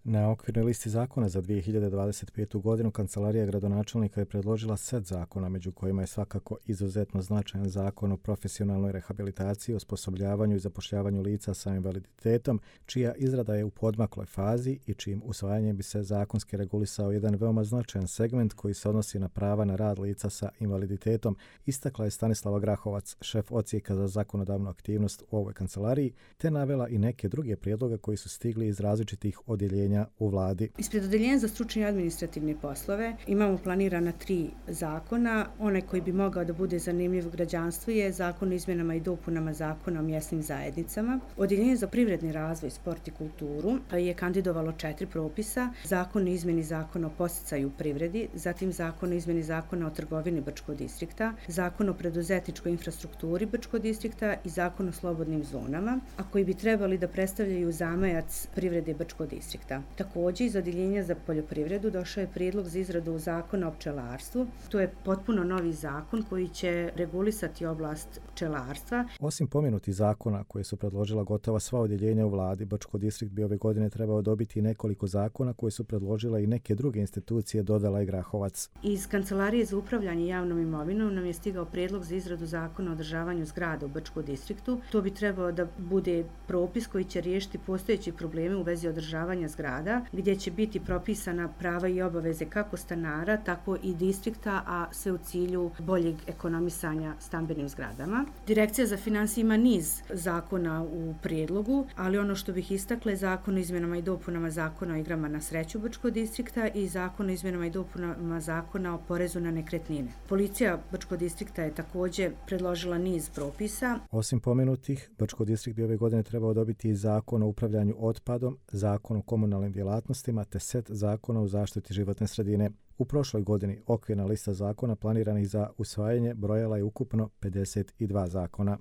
Na okvirnoj listi zakona za 2025. godinu Kancelarija gradonačelnika je predložila set zakona, među kojima je svakako izuzetno značajan zakon o profesionalnoj rehabilitaciji, osposobljavanju i zapošljavanju lica sa invaliditetom, čija izrada je u poodmakloj fazi i čijim usvajanjem bi se zakonski regulisao jedan veoma značajan segment koji se odnosi na prava na rad lica sa invaliditetom, istakla je Stanislava Grahovac, šef odsjeka za zakonodavnu aktivnost u ovoj kancelariji, te navela i neke druge prijedloge koji su stigli iz različitih odjeljenja u vladi. Ispred odeljenja za stručne i administrativne poslove imamo planirana 3 zakona. Onaj koji bi mogao da bude zanimljiv građanstvu je Zakon o izmjenama i dopunama Zakona o mjesnim zajednicama. Odeljenje za privredni razvoj, sport i kulturu je kandidovalo 4 propisa: Zakon o izmjeni Zakona o podsticaju u privredi, zatim Zakon o izmjeni Zakona o trgovini Brčkog distrikta, Zakon o preduzetničkoj infrastrukturi Brčkog distrikta i Zakon o slobodnim zonama, a koji bi trebali da predstavljaju zamajac privrede Brčkog distrikta. Također, iz Odeljenja za poljoprivredu došao je prijedlog za izradu Zakona o pčelarstvu. To je potpuno novi zakon koji će regulisati oblast pčelarstva. Osim pomenutih zakona koje su predložila gotova sva odjeljenja u vladi, Brčko distrikt bi ove godine trebao dobiti nekoliko zakona koje su predložila i neke druge institucije, dodala je Grahovac. Iz Kancelarije za upravljanje javnom imovinom nam je stigao prijedlog za izradu Zakona o održavanju zgrada u Brčkom distriktu. To bi trebao da bude propis koji će riješiti postojeće probleme u vezi održavanja zgrada, gdje će biti propisana prava i obaveze kako stanara, tako i distrikta, a sve u cilju boljeg ekonomisanja stambenim zgradama. Direkcija za financije ima niz zakona u prijedlogu, ali ono što bih istakla je Zakon o izmjenama i dopunama Zakona o igrama na sreću Brčkog distrikta i Zakon o izmjenama i dopunama Zakona o porezu na nekretnine. Policija Brčkog distrikta je također predložila niz propisa. Osim pomenutih, Brčko distrikt bi ove godine trebao dobiti i Zakon o upravljanju otpadom, Zakon o komunalnim djelatnostima te set zakona o zaštiti životne sredine. U prošloj godini okvirna lista zakona planiranih za usvajanje brojala je ukupno 52 zakona.